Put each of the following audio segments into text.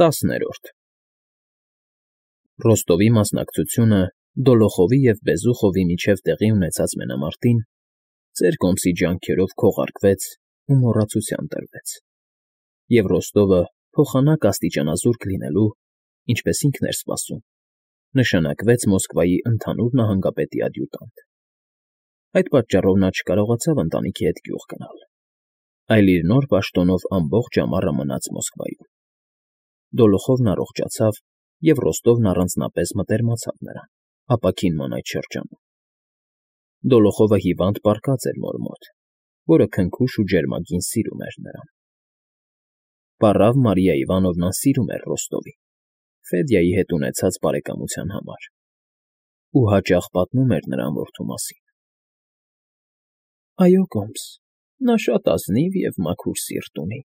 10-րդ Ռոստովի մասնակցությունը Դոլոխովի և Բեզուխովի միջև տեղի ունեցած մենամարտին ծեր կոմսի ջանքերով քողարկվեց ու մոռացության տրվեց, և Ռոստովը փոխանակ աստիճանազուրկ լինելու, ինչպես ինքն էր սպասում, նշանակվեց Մոսկվայի ընդհանուր նահանգապետի ադյուտանտ. Այդ պատճառով նա չկարողացավ ընտանիքի հետ գյուղ գնալ, այլ իր նոր պաշտոնով ամբողջ ամառը մնաց Մոսկվայում. Դոլոխովն առողջացավ, և Ռոստովն առանձնապես մտերմացավ նրան, ապաքինման այդ շրջանում. Դոլոխովը հիվանդ պառկած էր մոր մոտ, որը քնքուշ ու ջերմագին սիրում էր նրան. Պառավ Մարիա Իվանովնան սիրում էր Ռոստովին Ֆեդյայի հետ ունեցած բարեկամության համար ու հաճախ պատմում էր նրան որդու մասին. «Այո, կոմս, նա շատ ազնիվ և մաքուր սիրտ ունի»,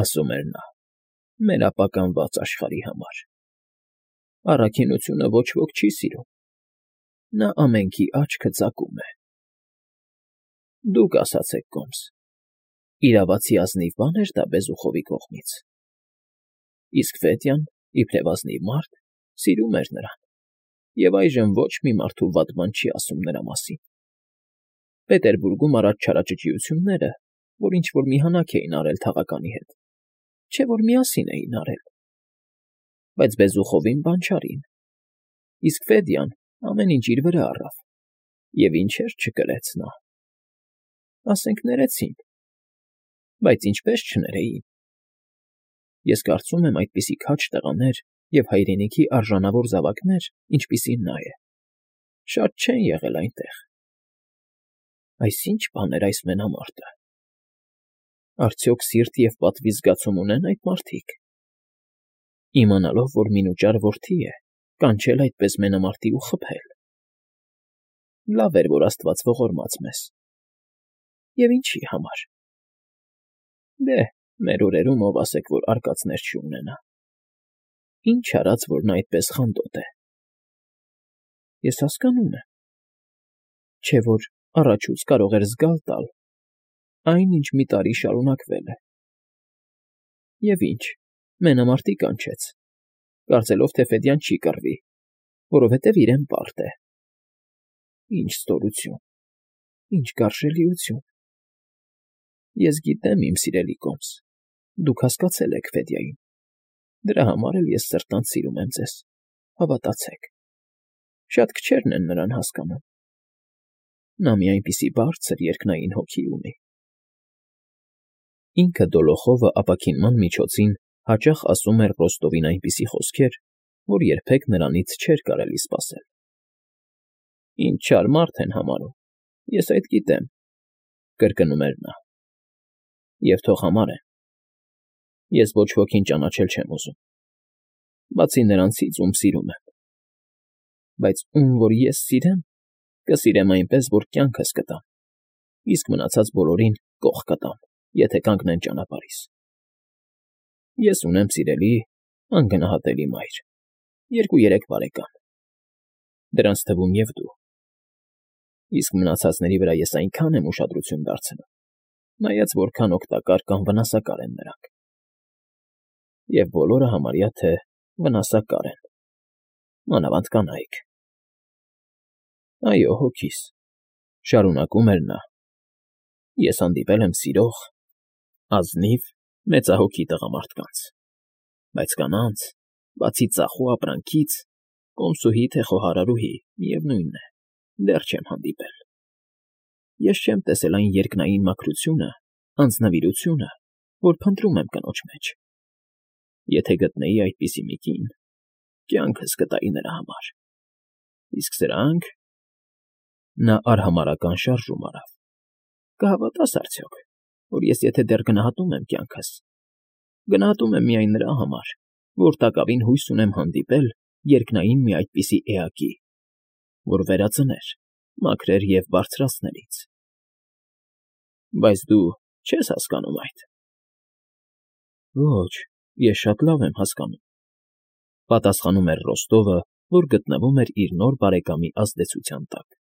ասում էր նա, «մեր ապականված աշխարհի համար։ Առաքինությունը ոչ ոք չի սիրում, նա ամենքի աչքը ծակում է»։ Դուք ասացեք, կոմս, իրավացի ազնիվ բան էր դա Բեզուխովի կողմից։ Իսկ Ֆեդյան, իբրև ազնիվ մարդ, սիրում էր նրան, և այժմ ոչ մի մարդու վատ բան չի ասում նրա մասին։ Պետերբուրգում առաջ չարաճճիությունները, որ ինչ-որ մի հանաք էին արել թաղականի հետ, չէ՞ որ միասին էին արել։ Բայց Բեզուխովին բան չարին, իսկ Ֆեդյան ամեն ինչ իր վրա առավ, և ինչեր չկրեց նա։ Ասենք ներեցին, բայց ինչպես չներեին։ Ես կարծում եմ, այդպիսի քաջ տղաներ և հայրենիքի արժանավոր զավակներ, ինչպիսին նա է, շատ չեն եղել այնտեղ։ Այս ի՞նչ բան էր այս մենամարտը։ Արդյոք սիրտ և պատվի զգացում ունեն այդ մարդիկ։ Իմանալով, որ մինուճար որդի է, կանչել այդպես մենամարտի ու խփել։ Լավ էր, որ Աստված ողորմած մեզ։ Եվ ինչի համար։ Դե, մեր օրերում ով ասեք, որ արկածներ չունենա։ Ինչ արած, որ նա այդպես խանդոտ է։ Ես հասկանում եմ։ Չէ՞ որ առաջուց կարող էր զգալ տալ այն, ինչ մի տարի շարունակվել է։ Եվ ինչ, մենամարտի կանչեց, կարծելով, թե Ֆեդյան չի կռվի, որովհետև իրեն պարտ է։ Ինչ ստորություն, ինչ գարշելիություն։ Ես գիտեմ, իմ սիրելի կոմս, դուք հասկացել եք Ֆեդյային, դրա համար էլ ես սրտանց սիրում եմ ձեզ, հավատացեք։ Շատ քչերն են նրան հասկանում։ Նա մի այնպիսի բարձր երկնային հոգի ունի։ Ինքը Դոլոխովը ապաքինման միջոցին հաճախ ասում էր Ռոստովին այնպիսի խոսքեր, որ երբեք նրանից չէր կարելի սպասել։ Ինչ չար մարդ են համարում, ես այդ գիտեմ, կրկնում էր նա։ Եվ թող համարեն։ Ես ոչ ոքին ճանաչել չեմ ուզում, բացի նրանցից, ում սիրում եմ։ Բայց ում որ ես սիրեմ, կսիրեմ այնպես, որ կյանքս կտամ, իսկ մնացած բոլորին կոխ կտամ, եթե կանգնեն ճանապարհիս։ Ես ունեմ սիրելի, անգնահատելի մայր, 2-3 բարեկամ, դրանց թվում և դու։ Իսկ մնացածների վրա ես այնքան եմ ուշադրություն դարձնում, նայած որքան օգտակար կամ վնասակար են նրանք։ Եվ բոլորը համարյա թե վնասակար են, մանավանդ կանայք։ Այո, հոգիս, շարունակում էր նա, ես հանդիպել եմ սիրող, ազնիվ, մեծահոգի տղամարդկանց, բայց կանանց, բացի ծախու ապրանքից, կոմսուհի թե խոհարարուհի, միևնույն է, դեռ չեմ հանդիպել։ Ես չեմ տեսել այն երկնային մաքրությունը, անձնվիրությունը, որ փնտրում եմ կնոջ մեջ։ Եթե գտնեի այդպիսի մի կին, կյանքս կտայի նրա համար։ Իսկ սրանք… Նա արհամարհական շարժում արավ։ Կհավատաս արդյոք, որ ես եթե դեռ գնահատում եմ կյանքս, գնահատում եմ միայն նրա համար, որ տակավին հույս ունեմ հանդիպել երկնային մի այդպիսի էակի, որ վերածներ, մաքրեր և բարձրացներ ինձ։ Բայց դու չես հասկանում այդ։ Ոչ, ես շատ լավ եմ հասկանում, պատասխանում էր Ռոստովը, որ գտնվում էր իր նոր բարեկամի ազդեցության տակ։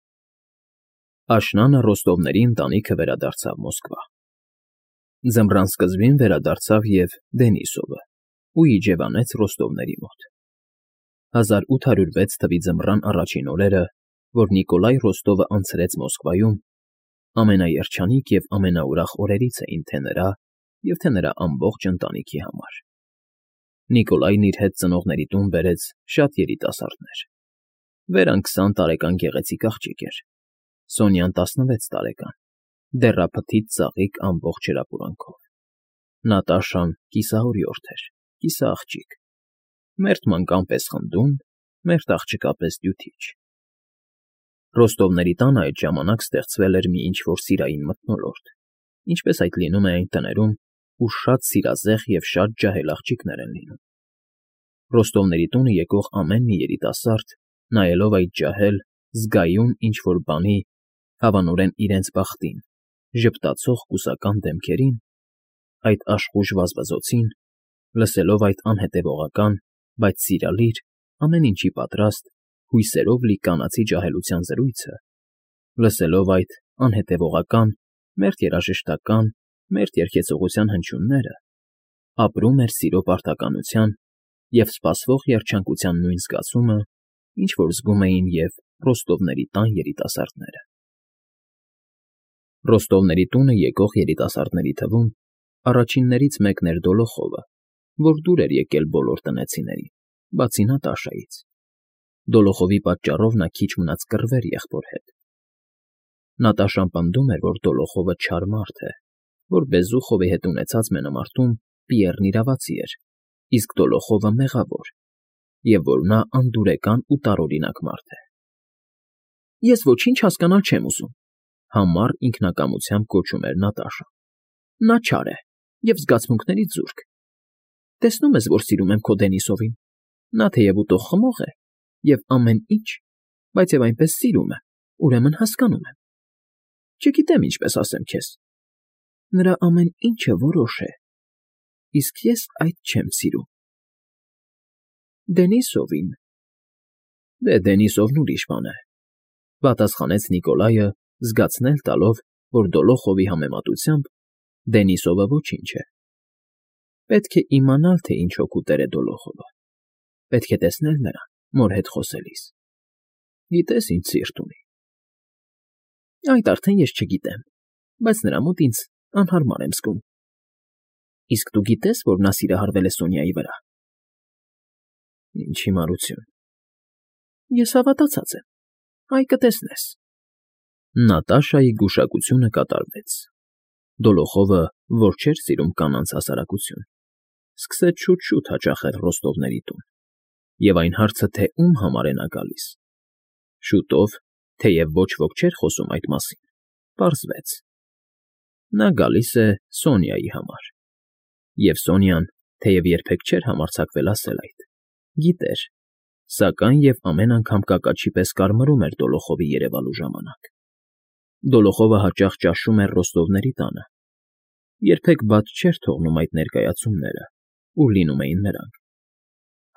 Աշնանը Ռոստովների ընտանիքը վերադարձավ Մոսկվա։ Ձմռան սկզբին վերադարձավ և Դենիսովը, ու իջևանեց Ռոստովների մոտ։ 1806 թվականի ձմռան առաջին օրերը, որ Նիկոլայ Ռոստովը անցրեց Մոսկվայում, ամենաերջանիկ և ամենաուրախ օրերից էին թե նրա և թե նրա ամբողջ ընտանիքի համար։ Նիկոլայն իր հետ ծնողների տուն բերեց շատ երիտասարդներ։ Վերան 20 տարեկան գեղեցիկ աղջիկ էր, Սոնյան 16 տարեկան, դեռափթիթ ծաղիկ ամբողջ հրապուրանքով։ Նատաշան կիսահորիորդ էր, կիսաաղջիկ, մերթ մանկան պես խնդուն, մերթ աղջկա պես դյութիչ։ Ռոստովների տանը այդ ժամանակ ստեղծվել էր մի ինչ֊որ սիրային մթնոլորտ, ինչպես այդ լինում է այն տներում, ուր շատ սիրազեղ և շատ ջահել աղջիկներ են լինում։ Ռոստովների տունը եկող ամեն մի երիտասարդ, նայելով այդ ջահել, զգայուն ինչ֊որ բանի, հավանորեն իրենց բախտին, ժպտացող կուսական դեմքերին, այդ աշխույժ վազվզոցին, լսելով այդ անհետևողական, բայց սիրալիր, ամեն ինչի պատրաստ, հույսերով լի կանացի ջահելության զրույցը, լսելով այդ անհետևողական, մերթ երաժշտական, մերթ երգեցողության հնչյունները, ապրում էր սիրո պարտականության և սպասվող երջանկության նույն զգացումը, ինչ որ զգում էին և Ռոստովների տան երիտասարդները։ Ռոստովների տունը եկող երիտասարդների թվում առաջիններից մեկն էր Դոլոխովը, որ դուր էր եկել բոլոր տնեցիներին, բացի Նատաշայից։ Դոլոխովի պատճառով նա քիչ մնաց կռվեր եղբոր հետ։ Նատաշան պնդում էր, որ Դոլոխովը չար մարդ է, որ Բեզուխովի հետ ունեցած մենամարտում Պիեռն իրավացի էր, իսկ Դոլոխովը մեղավոր, և որ նա անդուրեկան ու տարօրինակ մարդ է։ Ես ոչինչ հասկանալ չեմ ուզում, համառ ինքնակամությամբ գոչում էր Նատաշան։ Նա չար է և զգացմունքներից զուրկ։ Տեսնում ես, որ սիրում եմ քո Դենիսովին։ Նա թեև ուտող խմող է և ամեն ինչ, բայց և այնպես սիրում է, ուրեմն հասկանում եմ։ Չգիտեմ ինչպես ասեմ քեզ։ Նրա ամեն ինչը որոշ է, իսկ ես այդ չեմ սիրում։ Դենիսովին։ Դե Դենիսովն ուրիշ բան է, պատասխանեց Նիկոլայը, զգացնել տալով, որ Դոլոխովի համեմատությամբ Դենիսովը ոչինչ է։ Պետք է իմանալ, թե ինչ հոգու տեր է Դոլոխովը։ Պետք է տեսնել նրան, մոր հետ խոսելիս։ Գիտես, ինչ սիրտ ունի։ Այդ արդեն ես չգիտեմ, բայց նրա մոտ ինձ անհարմար եմ զգում։ Իսկ դու գիտես, որ նա սիրահարվել է Սոնյայի վրա։ Ինչ հիմարություն։ Ես հավատացած եմ, այ կտեսնես։ Նատաշայի գուշակությունը կատարվեց։ Դոլոխովը, որ չէր սիրում կանանց հասարակություն, սկսեց շուտ֊շուտ հաճախել Ռոստովների տուն, և այն հարցը, թե ում համար է նա գալիս։ Շուտով, թեև ոչ ոք չէր խոսում այդ մասին, պարզվեց. նա գալիս է Սոնյայի համար։ Եվ Սոնյան, թեև երբեք չէր համարձակվել ասել այդ, գիտեր, սակայն և ամեն անգամ կակաչի պես կարմրում էր Դոլոխովի երևալու ժամանակ։ Դոլոխովը հաճախ ճաշում էր Ռոստովների տանը, երբեք բաց չէր թողնում այդ ներկայացումները, ուր լինում էին նրանք։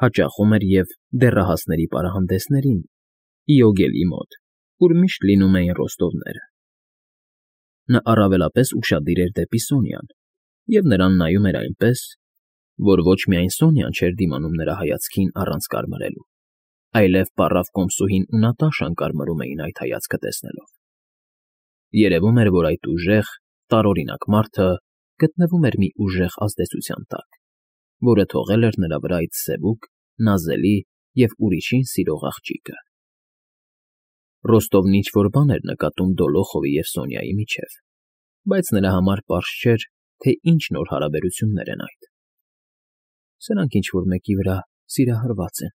Հաճախում էր և դեռահասների պարահանդեսներին, Իոգելի մոտ, ուր միշտ լինում էին Ռոստովները։ Նա առավելապես ուշադիր էր դեպի Սոնյան և նրան նայում էր այնպես, որ ոչ միայն Սոնյան չէր դիմանում նրա հայացքին առանց կարմրելու, այլև պառավ կոմսուհին ու Նատաշան կարմրում էին այդ հայացքը տեսնելով։ Երևում էր, որ այդ ուժեղ, տարօրինակ մարդը գտնվում էր մի ուժեղ ազդեցության տակ, որը թողել էր նրա վրա այդ սևուկ, նազելի և ուրիշին սիրող աղջիկը։ Ռոստովն ինչ֊որ բան էր նկատում Դոլոխովի և Սոնյայի միջև, բայց նրա համար պարզ չէր, թե ինչ նոր հարաբերություններ են այդ։ Սրանք ինչ֊որ մեկի վրա սիրահարված են,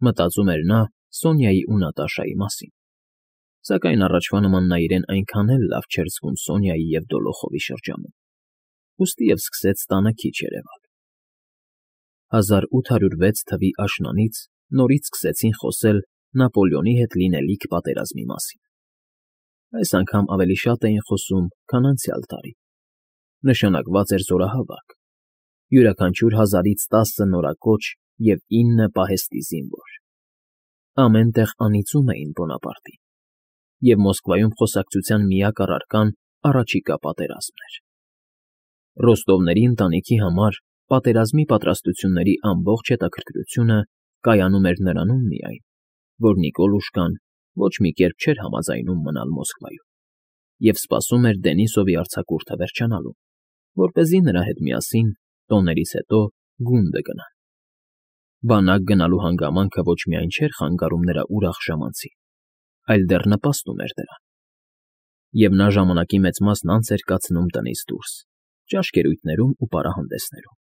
մտածում էր նա Սոնյայի ու Նատաշայի մասին, սակայն առաջվա նման նա իրեն այնքան էլ լավ չէր զգում Սոնյայի և Դոլոխովի շրջանում, ուստի և սկսեց տանը քիչ երևալ։ 1806 թվականի աշնանից նորից սկսեցին խոսել Նապոլեոնի հետ լինելիք պատերազմի մասին։ Այս անգամ ավելի շատ էին խոսում, քան անցյալ տարի։ Նշանակված էր զորահավաք, յուրաքանչյուր 1000-ից 10 նորակոչ և 9 պահեստի զինվոր։ Ամեն տեղ անիծում էին Բոնապարտին, և Մոսկվայում խոսակցության միակ առարկան առաջիկա պատերազմն էր։ Ռոստովների ընտանիքի համար պատերազմի պատրաստությունների ամբողջ հետաքրքրությունը կայանում էր նրանում միայն, որ Նիկոլուշկան ոչ մի կերպ չէր համաձայնում մնալ Մոսկվայում և սպասում էր Դենիսովի արձակուրդը վերջանալուն, որպեսզի նրա հետ միասին, տոներից հետո, գունդը գնան։ Բանակ գնալու հանգամանքը ոչ միայն չէր խանգարում նրա ուրախ ժամանցին, այլ դեռ նպաստում էր դրան, և նա ժամանակի մեծ մասն անց էր կացնում տնից դուրս, ճաշկերույթներում ու պարահանդեսներում։